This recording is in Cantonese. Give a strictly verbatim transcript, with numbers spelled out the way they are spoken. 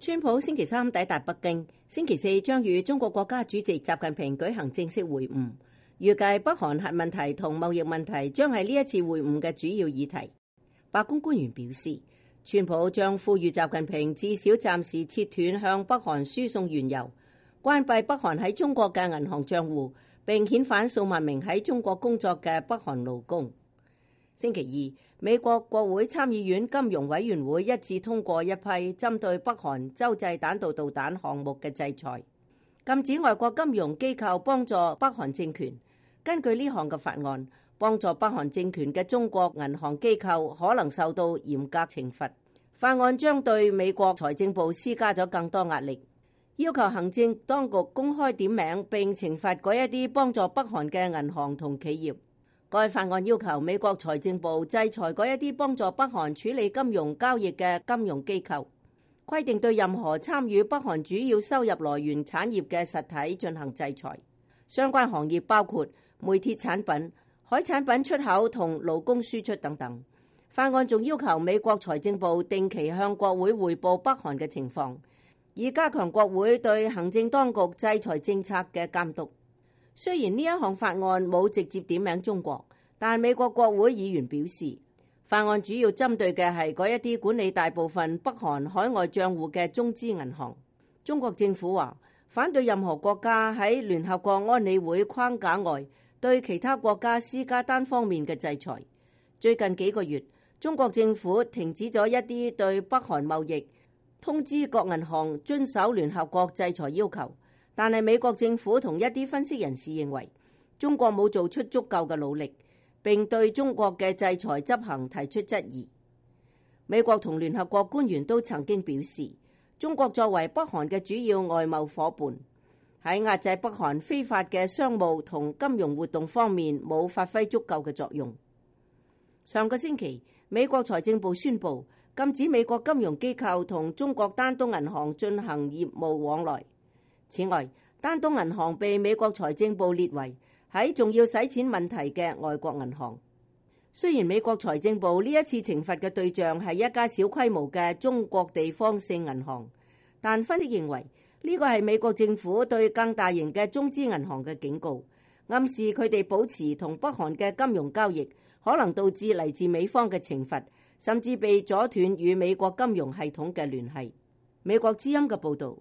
川普星期三抵達北京，星期四將與中國國家主席習近平舉行正式會晤。預計北韓核問題同貿易問題將係呢一次會晤嘅主要議題。白宮官員表示，川普將呼籲習近平至少暫時切斷向北韓輸送原油，關閉北韓喺中國嘅銀行賬戶，並遣返數萬名喺中國工作嘅北韓勞工。星期二，美國國會參議院金融委員會一致通過一批針對北韓洲際彈道導彈項目嘅制裁，禁止外國金融機構幫助北韓政權。根據呢項嘅法案，幫助北韓政權嘅中國銀行機構可能受到嚴格懲罰。法案將對美國財政部施加咗更多壓力，要求行政當局公開點名並懲罰嗰一啲幫助北韓嘅銀行同企業。該法案要求美國財政部制裁嗰一啲幫助北韓處理金融交易嘅金融機構，規定對任何參與北韓主要收入來源產業嘅實體進行制裁。相關行業包括煤鐵產品、海產品出口同勞工輸出等等。法案仲要求美國財政部定期向國會匯報北韓嘅情況，以加強國會對行政當局制裁政策嘅監督。雖然呢一項法案冇直接點名中國，但美國國會議員表示，法案主要針對嘅係嗰一啲管理大部分北韓海外賬戶嘅中資銀行。中國政府話反對任何國家喺聯合國安理會框架外對其他國家施加單方面嘅制裁。最近幾個月，中國政府停止咗一啲對北韓貿易，通知各銀行遵守聯合國制裁要求。但係美國政府同一啲分析人士認為，中國冇做出足夠嘅努力，並對中國嘅制裁執行提出質疑。美國同聯合國官員都曾經表示，中國作為北韓嘅主要外貿夥伴，喺壓制北韓非法嘅商務同金融活動方面冇發揮足夠嘅作用。上個星期，美國財政部宣布禁止美國金融機構同中國丹東銀行進行業務往來。此外，丹東銀行被美國財政部列為喺仲要洗錢問題嘅外國銀行。雖然美國財政部呢一次懲罰嘅對象係一家小規模嘅中國地方性銀行，但分析認為呢個係美國政府對更大型嘅中資銀行嘅警告，暗示佢哋保持同北韓嘅金融交易可能導致嚟自美方嘅懲罰，甚至被阻斷與美國金融系統嘅聯繫。美國之音嘅報導。